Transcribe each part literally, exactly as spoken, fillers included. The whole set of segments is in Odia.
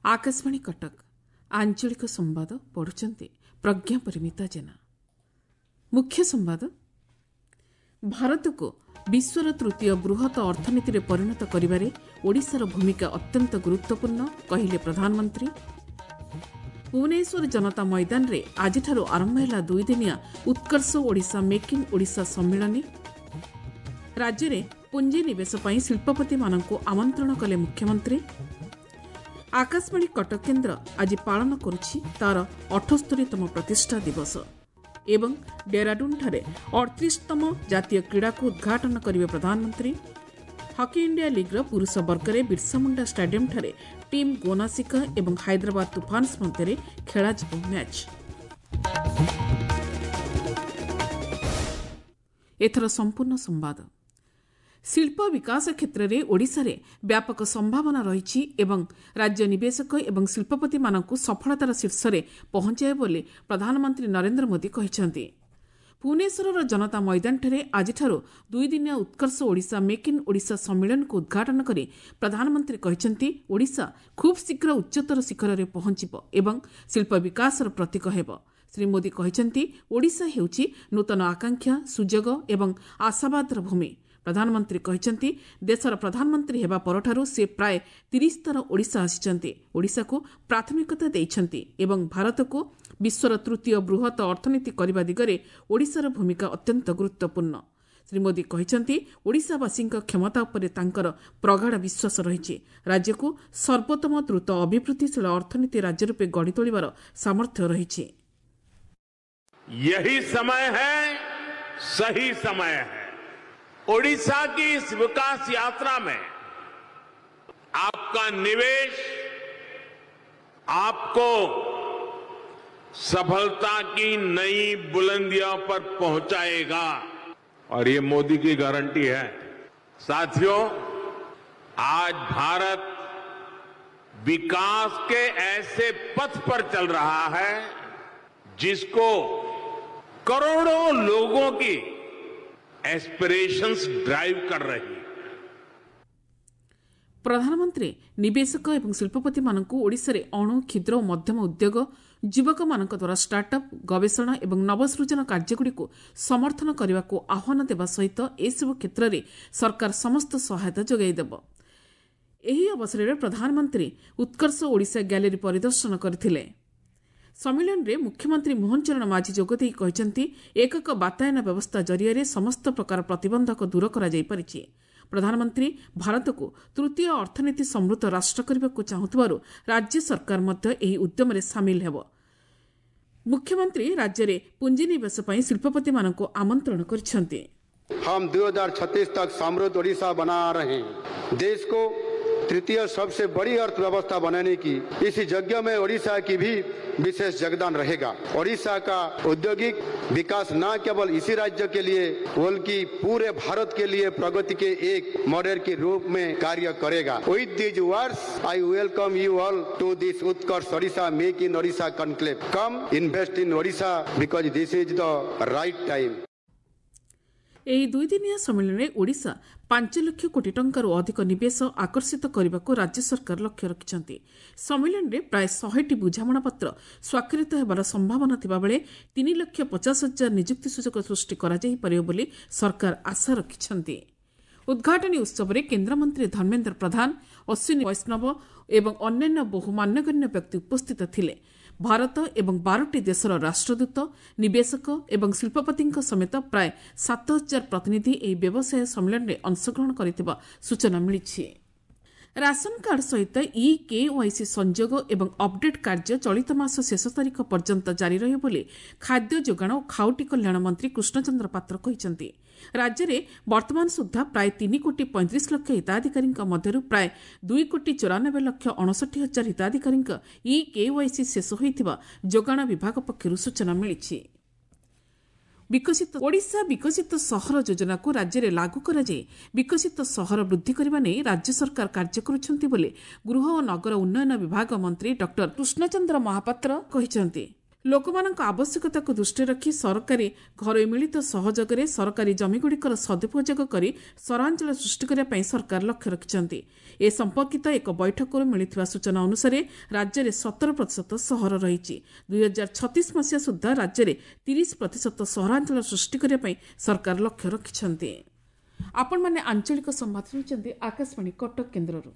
ଆକାଶବାଣୀ କଟକ ଆଞ୍ଚଳିକ ସମ୍ବାଦ ପଢୁଛନ୍ତି ପ୍ରଜ୍ଞା ପରିମିତା ଜେନା। ମୁଖ୍ୟ ସମ୍ବାଦ। ଭାରତକୁ ବିଶ୍ୱର ତୃତୀୟ ବୃହତ ଅର୍ଥନୀତିରେ ପରିଣତ କରିବାରେ ଓଡ଼ିଶାର ଭୂମିକା ଅତ୍ୟନ୍ତ ଗୁରୁତ୍ୱପୂର୍ଣ୍ଣ କହିଲେ ପ୍ରଧାନମନ୍ତ୍ରୀ। ଭୁବନେଶ୍ୱର ଜନତା ମଇଦାନରେ ଆଜିଠାରୁ ଆରମ୍ଭ ହେଲା ଦୁଇଦିନିଆ ଉତ୍କର୍ଷ ଓଡ଼ିଶା ମେକ୍ ଇନ୍ ଓଡ଼ିଶା ସମ୍ମିଳନୀ। ରାଜ୍ୟରେ ପୁଞ୍ଜିନିବେଶ ପାଇଁ ଶିଳ୍ପପତିମାନଙ୍କୁ ଆମନ୍ତ୍ରଣ କଲେ ମୁଖ୍ୟମନ୍ତ୍ରୀ। ଆକାଶବାଣୀ କଟକ କେନ୍ଦ୍ର ଆଜି ପାଳନ କରୁଛି ତା'ର ଅଠସ୍ତରୀତମ ପ୍ରତିଷ୍ଠା ଦିବସ। ଏବଂ ଡେରାଡୁନ୍ଠାରେ ଅଠତିରିଶତମ ଜାତୀୟ କ୍ରୀଡ଼ାକୁ ଉଦ୍ଘାଟନ କରିବେ ପ୍ରଧାନମନ୍ତ୍ରୀ। ହକି ଇଣ୍ଡିଆ ଲିଗ୍ର ପୁରୁଷ ବର୍ଗରେ ବିର୍ସାମୁଣ୍ଡା ଷ୍ଟାଡିୟମ୍ଠାରେ ଟିମ୍ ଗୋନାସିକା ଏବଂ ହାଇଦ୍ରାବାଦ ତୁଫାନ୍ସ ମଧ୍ୟରେ ଖେଳାଯିବ ମ୍ୟାଚ୍। ଏଥର ସମ୍ପୂର୍ଣ୍ଣ ସମ୍ବାଦ। ଶିଳ୍ପ ବିକାଶ କ୍ଷେତ୍ରରେ ଓଡ଼ିଶାରେ ବ୍ୟାପକ ସମ୍ଭାବନା ରହିଛି ଏବଂ ରାଜ୍ୟ ନିବେଶକ ଏବଂ ଶିଳ୍ପପତିମାନଙ୍କୁ ସଫଳତାର ଶୀର୍ଷରେ ପହଞ୍ଚାଇବ ବୋଲି ପ୍ରଧାନମନ୍ତ୍ରୀ ନରେନ୍ଦ୍ର ମୋଦି କହିଛନ୍ତି। ଭୁବନେଶ୍ୱରର ଜନତା ମଇଦାନଠାରେ ଆଜିଠାରୁ ଦୁଇଦିନିଆ ଉତ୍କର୍ଷ ଓଡ଼ିଶା ମେକ୍ ଇନ୍ ଓଡ଼ିଶା ସମ୍ମିଳନୀକୁ ଉଦ୍ଘାଟନ କରି ପ୍ରଧାନମନ୍ତ୍ରୀ କହିଛନ୍ତି, ଓଡ଼ିଶା ଖୁବ୍ ଶୀଘ୍ର ଉଚ୍ଚତର ଶିଖରରେ ପହଞ୍ଚିବ ଏବଂ ଶିଳ୍ପ ବିକାଶର ପ୍ରତୀକ ହେବ। ଶ୍ରୀ ମୋଦି କହିଛନ୍ତି, ଓଡ଼ିଶା ହେଉଛି ନୂତନ ଆକାଂକ୍ଷା, ସୁଯୋଗ ଏବଂ ଆଶାବାଦର ଭୂମି। ପ୍ରଧାନମନ୍ତ୍ରୀ କହିଛନ୍ତି, ଦେଶର ପ୍ରଧାନମନ୍ତ୍ରୀ ହେବା ପରଠାରୁ ସେ ପ୍ରାୟ ତିରିଶ ଥର ଓଡ଼ିଶା ଆସିଛନ୍ତି, ଓଡ଼ିଶାକୁ ପ୍ରାଥମିକତା ଦେଇଛନ୍ତି ଏବଂ ଭାରତକୁ ବିଶ୍ୱର ତୃତୀୟ ବୃହତ ଅର୍ଥନୀତି କରିବା ଦିଗରେ ଓଡ଼ିଶାର ଭୂମିକା ଅତ୍ୟନ୍ତ ଗୁରୁତ୍ୱପୂର୍ଣ୍ଣ। ଶ୍ରୀ ମୋଦି କହିଛନ୍ତି, ଓଡ଼ିଶାବାସୀଙ୍କ କ୍ଷମତା ଉପରେ ତାଙ୍କର ପ୍ରଗାଢ଼ ବିଶ୍ୱାସ ରହିଛି। ରାଜ୍ୟକୁ ସର୍ବୋତ୍ତମ ଦ୍ରୁତ ଅଭିବୃଦ୍ଧିଶୀଳ ଅର୍ଥନୀତି ରାଜ୍ୟ ରୂପେ ଗଢ଼ି ତୋଳିବାର ସାମର୍ଥ୍ୟ ରହିଛି। यही समय है, सही समय है। ओडिशा की इस विकास यात्रा में आपका निवेश आपको सफलता की नई बुलंदियों पर पहुंचाएगा और ये मोदी की गारंटी है। साथियों, आज भारत विकास के ऐसे पथ पर चल रहा है जिसको करोड़ों लोगों की एस्पिरेशंस ड्राइव कर रही है। ପ୍ରଧାନମନ୍ତ୍ରୀ ନିବେଶକ ଏବଂ ଶିଳ୍ପପତିମାନଙ୍କୁ ଓଡ଼ିଶାରେ ଅଣୁ, କ୍ଷୁଦ୍ର ଓ ମଧ୍ୟମ ଉଦ୍ୟୋଗ, ଯୁବକମାନଙ୍କ ଦ୍ୱାରା ଷ୍ଟାର୍ଟଅପ୍, ଗବେଷଣା ଏବଂ ନବସୃଜନ କାର୍ଯ୍ୟଗୁଡ଼ିକୁ ସମର୍ଥନ କରିବାକୁ ଆହ୍ୱାନ ଦେବା ସହିତ ଏସବୁ କ୍ଷେତ୍ରରେ ସରକାର ସମସ୍ତ ସହାୟତା ଯୋଗାଇ ଦେବ। ଏହି ଅବସରରେ ପ୍ରଧାନମନ୍ତ୍ରୀ ଉତ୍କର୍ଷ ଓଡ଼ିଶା ଗ୍ୟାଲେରୀ ପରିଦର୍ଶନ କରିଥିଲେ। ସମ୍ମିଳନୀରେ ମୁଖ୍ୟମନ୍ତ୍ରୀ ମୋହନ ଚରଣ ମାଝୀ ଯୋଗଦେଇ କହିଛନ୍ତି, ଏକକ ବାତାୟନ ବ୍ୟବସ୍ଥା ଜରିଆରେ ସମସ୍ତ ପ୍ରକାର ପ୍ରତିବନ୍ଧକ ଦୂର କରାଯାଇପାରିଛି। ପ୍ରଧାନମନ୍ତ୍ରୀ ଭାରତକୁ ତୃତୀୟ ଅର୍ଥନୀତି ସମୃଦ୍ଧ ରାଷ୍ଟ୍ର କରିବାକୁ ଚାହୁଁଥିବାରୁ ରାଜ୍ୟ ସରକାର ମଧ୍ୟ ଏହି ଉଦ୍ୟମରେ ସାମିଲ ହେବ। ମୁଖ୍ୟମନ୍ତ୍ରୀ ରାଜ୍ୟରେ ପୁଞ୍ଜିନିବେଶ ପାଇଁ ଶିଳ୍ପପତିମାନଙ୍କୁ ଆମନ୍ତ୍ରଣ କରିଛନ୍ତି। हम दो हजार छत्तीस तक समृद्ध ओडिशा बना रहे हैं। देश को तृतीय सबसे बड़ी अर्थव्यवस्था बनाने की इस यज्ञ में ओडिशा की भी विशेष योगदान रहेगा। ओडिशा का औद्योगिक विकास न केवल इसी राज्य के लिए बल्कि पूरे भारत के लिए प्रगति के एक मॉडल के रूप में कार्य करेगा। With these words I welcome you all to this Utkarsh Odisha make in Odisha conclave. Come invest in Odisha because this is the right time. ଏହି ଦୁଇଦିନିଆ ସମ୍ମିଳନୀରେ ଓଡ଼ିଶା ପାଞ୍ଚ ଲକ୍ଷ କୋଟି ଟଙ୍କାରୁ ଅଧିକ ନିବେଶ ଆକର୍ଷିତ କରିବାକୁ ରାଜ୍ୟ ସରକାର ଲକ୍ଷ୍ୟ ରଖିଛନ୍ତି। ସମ୍ମିଳନୀରେ ପ୍ରାୟ ଶହେଟି ବୁଝାମଣାପତ୍ର ସ୍ୱାକ୍ଷରିତ ହେବାର ସମ୍ଭାବନା ଥିବାବେଳେ ତିନି ଲକ୍ଷ ପଚାଶ ହଜାର ନିଯୁକ୍ତି ସୁଯୋଗ ସୃଷ୍ଟି କରାଯାଇପାରିବ ବୋଲି ସରକାର ଆଶା ରଖିଛନ୍ତି। ଉଦ୍ଘାଟନୀ ଉତ୍ସବରେ କେନ୍ଦ୍ରମନ୍ତ୍ରୀ ଧର୍ମେନ୍ଦ୍ର ପ୍ରଧାନ, ଅଶ୍ୱିନୀ ବୈଷ୍ଣବ ଏବଂ ଅନ୍ୟାନ୍ୟ ବହୁ ମାନ୍ୟଗଣ୍ୟ ବ୍ୟକ୍ତି ଉପସ୍ଥିତ ଥିଲେ। ଭାରତ ଏବଂ ବାରଟି ଦେଶର ରାଷ୍ଟ୍ରଦୂତ, ନିବେଶକ ଏବଂ ଶିଳ୍ପପତିଙ୍କ ସମେତ ପ୍ରାୟ ସାତ ହଜାର ପ୍ରତିନିଧି ଏହି ବ୍ୟବସାୟ ସମ୍ମିଳନୀରେ ଅଂଶଗ୍ରହଣ କରିଥିବା ସୂଚନା ମିଳିଛି। ରାସନ କାର୍ଡ ସହିତ ଇ କେୱାଇସି ସଂଯୋଗ ଏବଂ ଅପଡେଟ୍ କାର୍ଯ୍ୟ ଚଳିତ ମାସ ଶେଷ ତାରିଖ ପର୍ଯ୍ୟନ୍ତ ଜାରି ରହିବ ବୋଲି ଖାଦ୍ୟ ଯୋଗାଣ ଓ ଖାଉଟି କଲ୍ୟାଣ ମନ୍ତ୍ରୀ କୃଷ୍ଣଚନ୍ଦ୍ର ପାତ୍ର କହିଛନ୍ତି। ରାଜ୍ୟରେ ବର୍ତ୍ତମାନ ସୁଦ୍ଧା ପ୍ରାୟ ତିନି କୋଟି ପଇଁତିରିଶ ଲକ୍ଷ ହିତାଧିକାରୀଙ୍କ ମଧ୍ୟରୁ ପ୍ରାୟ ଦୁଇ କୋଟି ଚଉରାନବେ ଲକ୍ଷ ଅଣଷଠି ହଜାର ହିତାଧିକାରୀଙ୍କ ଇ କେୱାଇସି ଶେଷ ହୋଇଥିବା ଯୋଗାଣ ବିଭାଗ ପକ୍ଷରୁ ସୂଚନା ମିଳିଛି। ବିକଶିତ ଓଡ଼ିଶା ବିକଶିତ ସହର ଯୋଜନାକୁ ରାଜ୍ୟରେ ଲାଗୁ କରାଯାଇ ବିକଶିତ ସହର ବୃଦ୍ଧି କରିବା ନେଇ ରାଜ୍ୟ ସରକାର କାର୍ଯ୍ୟ କରୁଛନ୍ତି ବୋଲି ଗୃହ ଓ ନଗର ଉନ୍ନୟନ ବିଭାଗ ମନ୍ତ୍ରୀ ଡକ୍ଟର କୃଷ୍ଣଚନ୍ଦ୍ର ମହାପାତ୍ର କହିଛନ୍ତି। ଲୋକମାନଙ୍କ ଆବଶ୍ୟକତାକୁ ଦୃଷ୍ଟିରେ ରଖି ସରକାରୀ ଘରୋଇ ମିଳିତ ସହଯୋଗରେ ସରକାରୀ ଜମିଗୁଡ଼ିକର ସଦୁପଯୋଗ କରି ସହରାଞ୍ଚଳ ସୃଷ୍ଟି କରିବା ପାଇଁ ସରକାର ଲକ୍ଷ୍ୟ ରଖିଛନ୍ତି। ଏ ସମ୍ପର୍କିତ ଏକ ବୈଠକରୁ ମିଳିଥିବା ସୂଚନା ଅନୁସାରେ ରାଜ୍ୟରେ ସତର ପ୍ରତିଶତ ସହର ରହିଛି। ଦୁଇହଜାର ଛତିଶ ମସିହା ସୁଦ୍ଧା ରାଜ୍ୟରେ ତିରିଶ ପ୍ରତିଶତ ସହରାଞ୍ଚଳ ସୃଷ୍ଟି କରିବା ପାଇଁ ସରକାର ଲକ୍ଷ୍ୟ ରଖିଛନ୍ତି। ଆପଣମାନେ ଆଞ୍ଚଳିକ ସମ୍ବାଦ ଶୁଣୁଛନ୍ତି ଆକାଶବାଣୀ କଟକ କେନ୍ଦ୍ରରୁ।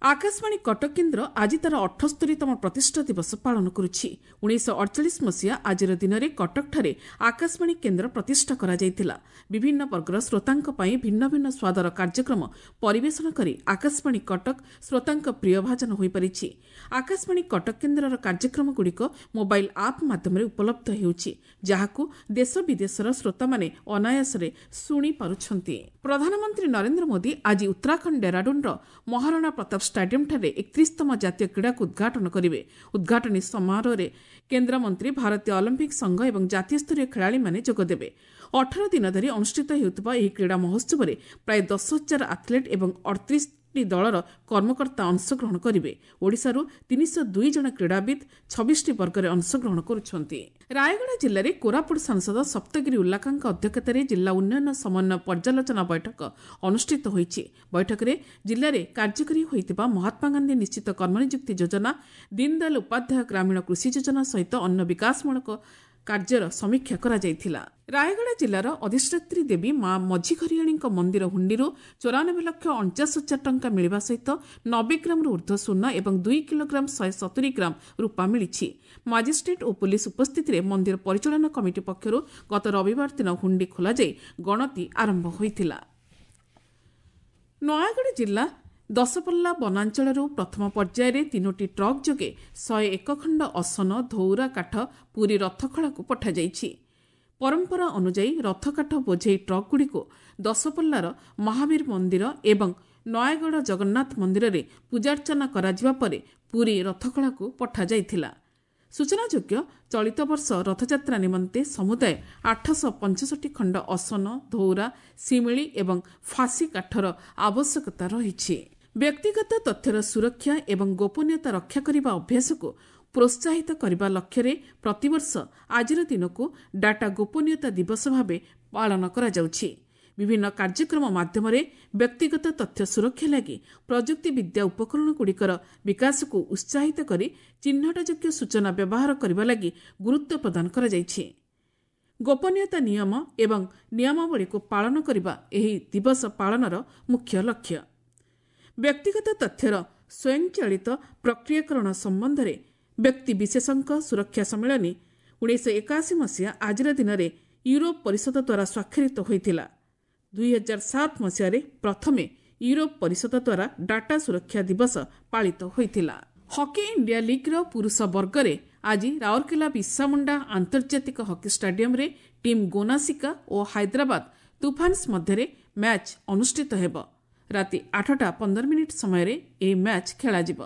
ଆକାଶବାଣୀ କଟକ କେନ୍ଦ୍ର ଆଜି ତାର ଅଠସ୍ତରୀତମ ପ୍ରତିଷ୍ଠା ଦିବସ ପାଳନ କରୁଛି। ଉଣେଇଶହ ଅଡ଼ଚାଳିଶ ମସିହା ଆଜିର ଦିନରେ କଟକଠାରେ ଆକାଶବାଣୀ କେନ୍ଦ୍ର ପ୍ରତିଷ୍ଠା କରାଯାଇଥିଲା। ବିଭିନ୍ନ ବର୍ଗର ଶ୍ରୋତାଙ୍କ ପାଇଁ ଭିନ୍ନ ଭିନ୍ନ ସ୍ୱାଦର କାର୍ଯ୍ୟକ୍ରମ ପରିବେଷଣ କରି ଆକାଶବାଣୀ କଟକ ଶ୍ରୋତାଙ୍କ ପ୍ରିୟଭାଜନ ହୋଇପାରିଛି। ଆକାଶବାଣୀ କଟକ କେନ୍ଦ୍ରର କାର୍ଯ୍ୟକ୍ରମଗୁଡ଼ିକ ମୋବାଇଲ୍ ଆପ୍ ମାଧ୍ୟମରେ ଉପଲବ୍ଧ ହେଉଛି, ଯାହାକୁ ଦେଶ ବିଦେଶର ଶ୍ରୋତାମାନେ ଅନାୟାସରେ ଶୁଣିପାରୁଛନ୍ତି। ପ୍ରଧାନମନ୍ତ୍ରୀ ନରେନ୍ଦ୍ର ମୋଦି ଆଜି ଉତ୍ତରାଖଣ୍ଡ ଡେରାଡୁନ୍ର ମହାରାଣା ପ୍ରତାପ ଷ୍ଟାଡିୟମ୍ଠାରେ ଏକତିରିଶତମ ଜାତୀୟ କ୍ରୀଡ଼ାକୁ ଉଦ୍ଘାଟନ କରିବେ। ଉଦ୍ଘାଟନୀ ସମାରୋହରେ କେନ୍ଦ୍ରମନ୍ତ୍ରୀ, ଭାରତୀୟ ଅଲିମ୍ପିକ୍ ସଂଘ ଏବଂ ଜାତୀୟ ସ୍ତରୀୟ ଖେଳାଳିମାନେ ଯୋଗଦେବେ। ଅଠର ଦିନ ଧରି ଅନୁଷ୍ଠିତ ହେଉଥିବା ଏହି କ୍ରୀଡ଼ା ମହୋତ୍ସବରେ ପ୍ରାୟ ଦଶ ହଜାର ଆଥଲେଟ୍ ଏବଂ ଅଠତିରିଶଟି ଦଳର କର୍ମକର୍ତ୍ତା ଅଂଶଗ୍ରହଣ କରିବେ। ଓଡ଼ିଶାରୁ ତିନିଶହ ଦୁଇ ଜଣ କ୍ରୀଡ଼ାବିତ୍ ଛବିଶଟି ବର୍ଗରେ ଅଂଶଗ୍ରହଣ କରୁଛନ୍ତି। ରାୟଗଡ଼ା ଜିଲ୍ଲାରେ କୋରାପୁଟ ସାଂସଦ ସପ୍ତଗିରି ଉଲ୍ଲାକାଙ୍କ ଅଧ୍ୟକ୍ଷତାରେ ଜିଲ୍ଲା ଉନ୍ନୟନ ସମନ୍ୱୟ ପର୍ଯ୍ୟାଲୋଚନା ବୈଠକ ଅନୁଷ୍ଠିତ ହୋଇଛି। ବୈଠକରେ ଜିଲ୍ଲାରେ କାର୍ଯ୍ୟକାରୀ ହୋଇଥିବା ମହାତ୍ମାଗାନ୍ଧୀ ନିଶ୍ଚିତ କର୍ମନିଯୁକ୍ତି ଯୋଜନା, ଦୀନଦୟାଲ ଉପାଧ୍ୟାୟ ଗ୍ରାମୀଣ କୃଷି ଯୋଜନା ସହିତ ଅନ୍ୟ ବିକାଶମୂଳକ କାର୍ଯ୍ୟର ସମୀକ୍ଷା କରାଯାଇଥିଲା। ରାୟଗଡ଼ା ଜିଲ୍ଲାର ଅଧିଷ୍ଠାତ୍ରୀ ଦେବୀ ମା ମଝିଘରିଆଣୀଙ୍କ ମନ୍ଦିର ହୁଣ୍ଡିରୁ ଚଉରାନବେ ଲକ୍ଷ ଅଣଚାଶ ହଜାର ଟଙ୍କା ମିଳିବା ସହିତ ନବେ ଗ୍ରାମରୁ ଉର୍ଦ୍ଧ୍ୱ ସୁନା ଏବଂ ଦୁଇ କିଲୋଗ୍ରାମ ଶହେ ସତୁରି ଗ୍ରାମ ରୂପା ମିଳିଛି। ମାଜିଷ୍ଟ୍ରେଟ୍ ଓ ପୁଲିସ ଉପସ୍ଥିତିରେ ମନ୍ଦିର ପରିଚାଳନା କମିଟି ପକ୍ଷରୁ ଗତ ରବିବାର ଦିନ ହୁଣ୍ଡି ଖୋଲାଯାଇ ଗଣତି ଆରମ୍ଭ ହୋଇଥିଲା। ନୟାଗଡ଼ ଜିଲ୍ଲା ଦଶପଲ୍ଲା ବନାଞ୍ଚଳରୁ ପ୍ରଥମ ପର୍ଯ୍ୟାୟରେ ତିନୋଟି ଟ୍ରକ୍ ଯୋଗେ ଶହେ ଏକ ଖଣ୍ଡ ଅସନ ଧଉରା କାଠ ପୁରୀ ରଥଖଳାକୁ ପଠାଯାଇଛି। ପରମ୍ପରା ଅନୁଯାୟୀ ରଥକାଠ ବୋଝେଇ ଟ୍ରକ୍ଗୁଡ଼ିକୁ ଦଶପଲ୍ଲାର ମହାବୀର ମନ୍ଦିର ଏବଂ ନୟାଗଡ଼ ଜଗନ୍ନାଥ ମନ୍ଦିରରେ ପୂଜାର୍ଚ୍ଚନା କରାଯିବା ପରେ ପୁରୀ ରଥଖଳାକୁ ପଠାଯାଇଥିଲା। ସୂଚନାଯୋଗ୍ୟ, ଚଳିତ ବର୍ଷ ରଥଯାତ୍ରା ନିମନ୍ତେ ସମୁଦାୟ ଆଠଶହ ପଞ୍ଚଷଠି ଖଣ୍ଡ ଅସନ, ଧଉରା, ଶିମିଳି ଏବଂ ଫାଶୀ କାଠର ଆବଶ୍ୟକତା ରହିଛି। ବ୍ୟକ୍ତିଗତ ତଥ୍ୟର ସୁରକ୍ଷା ଏବଂ ଗୋପନୀୟତା ରକ୍ଷା କରିବା ଅଭ୍ୟାସକୁ ପ୍ରୋତ୍ସାହିତ କରିବା ଲକ୍ଷ୍ୟରେ ପ୍ରତିବର୍ଷ ଆଜିର ଦିନକୁ ଡାଟା ଗୋପନୀୟତା ଦିବସ ଭାବେ ପାଳନ କରାଯାଉଛି। ବିଭିନ୍ନ କାର୍ଯ୍ୟକ୍ରମ ମାଧ୍ୟମରେ ବ୍ୟକ୍ତିଗତ ତଥ୍ୟ ସୁରକ୍ଷା ଲାଗି ପ୍ରଯୁକ୍ତିବିଦ୍ୟା ଉପକରଣଗୁଡ଼ିକର ବିକାଶକୁ ଉତ୍ସାହିତ କରି ଚିହ୍ନଟଯୋଗ୍ୟ ସୂଚନା ବ୍ୟବହାର କରିବା ଲାଗି ଗୁରୁତ୍ୱ ପ୍ରଦାନ କରାଯାଇଛି। ଗୋପନୀୟତା ନିୟମ ଏବଂ ନିୟମାବଳୀକୁ ପାଳନ କରିବା ଏହି ଦିବସ ପାଳନର ମୁଖ୍ୟ ଲକ୍ଷ୍ୟ। ବ୍ୟକ୍ତିଗତ ତଥ୍ୟର ସ୍ୱୟଂଚାଳିତ ପ୍ରକ୍ରିୟାକରଣ ସମ୍ବନ୍ଧରେ ବ୍ୟକ୍ତିବିଶେଷଙ୍କ ସୁରକ୍ଷା ସମ୍ମିଳନୀ ଉଣେଇଶହ ଏକାଅଶୀ ମସିହା ଆଜିର ଦିନରେ ୟୁରୋପ ପରିଷଦ ଦ୍ୱାରା ସ୍ୱାକ୍ଷରିତ ହୋଇଥିଲା। ଦୁଇହଜାର ସାତ ମସିହାରେ ପ୍ରଥମେ ୟୁରୋପ ପରିଷଦ ଦ୍ୱାରା ଡାଟା ସୁରକ୍ଷା ଦିବସ ପାଳିତ ହୋଇଥିଲା। ହକି ଇଣ୍ଡିଆ ଲିଗ୍ର ପୁରୁଷ ବର୍ଗରେ ଆଜି ରାଉରକେଲା ବିର୍ସାମୁଣ୍ଡା ଆନ୍ତର୍ଜାତିକ ହକି ଷ୍ଟାଡିୟମ୍ରେ ଟିମ୍ ଗୋନାସିକା ଓ ହାଇଦ୍ରାବାଦ ତୁଫାନ୍ସ ମଧ୍ୟରେ ମ୍ୟାଚ୍ ଅନୁଷ୍ଠିତ ହେବ। ରାତି ଆଠଟା ପନ୍ଦର ମିନିଟ୍ ସମୟରେ ଏହି ମ୍ୟାଚ୍ ଖେଳାଯିବ।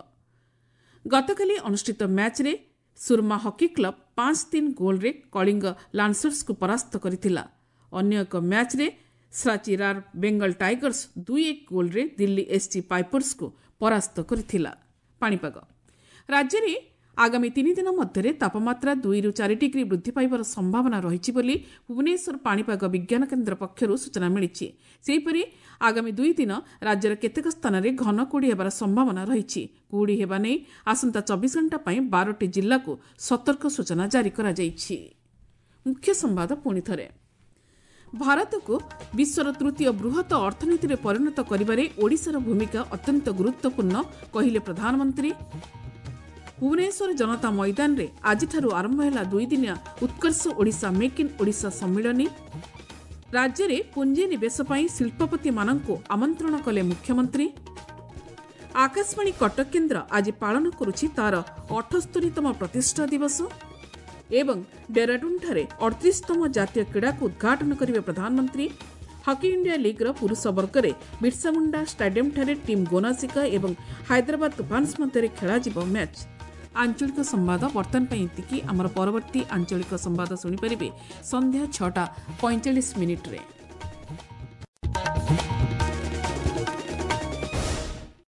ଗତକାଲି ଅନୁଷ୍ଠିତ ମ୍ୟାଚ୍ରେ ସୁରମା ହକି କ୍ଲବ ପାଞ୍ଚ ତିନି ଗୋଲ୍ରେ କଳିଙ୍ଗ ଲାନ୍ସର୍ସକୁ ପରାସ୍ତ କରିଥିଲା। ଅନ୍ୟ ଏକ ମ୍ୟାଚ୍ରେ ଶ୍ରାଚିରାର ବେଙ୍ଗଲ ଟାଇଗର୍ସ ଦୁଇ ଏକ ଗୋଲ୍ରେ ଦିଲ୍ଲୀ ଏସ୍ସି ପାଇପର୍ସକୁ ପରାସ୍ତ କରିଥିଲା। ପାଣିପାଗ ରାଜ୍ୟରେ ଆଗାମୀ ତିନି ଦିନ ମଧ୍ୟରେ ତାପମାତ୍ରା ଦୁଇରୁ ଚାରି ଡିଗ୍ରୀ ବୃଦ୍ଧି ପାଇବାର ସମ୍ଭାବନା ରହିଛି ବୋଲି ଭୁବନେଶ୍ୱର ପାଣିପାଗ ବିଜ୍ଞାନ କେନ୍ଦ୍ର ପକ୍ଷରୁ ସୂଚନା ମିଳିଛି। ସେହିପରି ଆଗାମୀ ଦୁଇ ଦିନ ରାଜ୍ୟର କେତେକ ସ୍ଥାନରେ ଘନ କୁହୁଡ଼ି ହେବାର ସମ୍ଭାବନା ରହିଛି। କୁହୁଡ଼ି ହେବା ନେଇ ଆସନ୍ତା ଚବିଶ ଘଣ୍ଟା ପାଇଁ ବାରଟି ଜିଲ୍ଲାକୁ ସତର୍କ ସୂଚନା ଜାରି କରାଯାଇଛି। ମୁଖ୍ୟ ସମ୍ବାଦ ପୁଣି ଥରେ, ଭାରତକୁ ବିଶ୍ୱର ତୃତୀୟ ବୃହତ ଅର୍ଥନୀତିରେ ପରିଣତ କରିବାରେ ଓଡ଼ିଶାର ଭୂମିକା ଅତ୍ୟନ୍ତ ଗୁରୁତ୍ୱପୂର୍ଣ୍ଣ କହିଲେ ପ୍ରଧାନମନ୍ତ୍ରୀ। ଭୁବନେଶ୍ୱର ଜନତା ମଇଦାନରେ ଆଜିଠାରୁ ଆରମ୍ଭ ହେଲା ଦୁଇଦିନିଆ ଉତ୍କର୍ଷ ଓଡ଼ିଶା ମେକ୍ ଇନ୍ ଓଡ଼ିଶା ସମ୍ମିଳନୀ। ରାଜ୍ୟରେ ପୁଞ୍ଜିନିବେଶ ପାଇଁ ଶିଳ୍ପପତିମାନଙ୍କୁ ଆମନ୍ତ୍ରଣ କଲେ ମୁଖ୍ୟମନ୍ତ୍ରୀ। ଆକାଶବାଣୀ କଟକ କେନ୍ଦ୍ର ଆଜି ପାଳନ କରୁଛି ତାର ଅଠସ୍ତରୀତମ ପ୍ରତିଷ୍ଠା ଦିବସ ଏବଂ ଡେରାଡୁନ୍ଠାରେ ଅଠତିରିଶତମ ଜାତୀୟ କ୍ରୀଡ଼ାକୁ ଉଦ୍ଘାଟନ କରିବେ ପ୍ରଧାନମନ୍ତ୍ରୀ। ହକି ଇଣ୍ଡିଆ ଲିଗ୍ର ପୁରୁଷ ବର୍ଗରେ ବିର୍ସାମୁଣ୍ଡା ଷ୍ଟାଡିୟମ୍ଠାରେ ଟିମ୍ ଗୋନାସିକା ଏବଂ ହାଇଦ୍ରାବାଦ ତୁଫାନ୍ସ ମଧ୍ୟରେ ଖେଳାଯିବ ମ୍ୟାଚ୍। ଆଞ୍ଚଳିକ ସମ୍ବାଦ ବର୍ତ୍ତମାନ ପାଇଁ ଏତିକି। ଆମର ପରବର୍ତ୍ତୀ ଆଞ୍ଚଳିକ ସମ୍ବାଦ ଶୁଣିପାରିବେ ସନ୍ଧ୍ୟା ଛଅଟା ପଇଁଚାଳିଶ ମିନିଟ୍ରେ।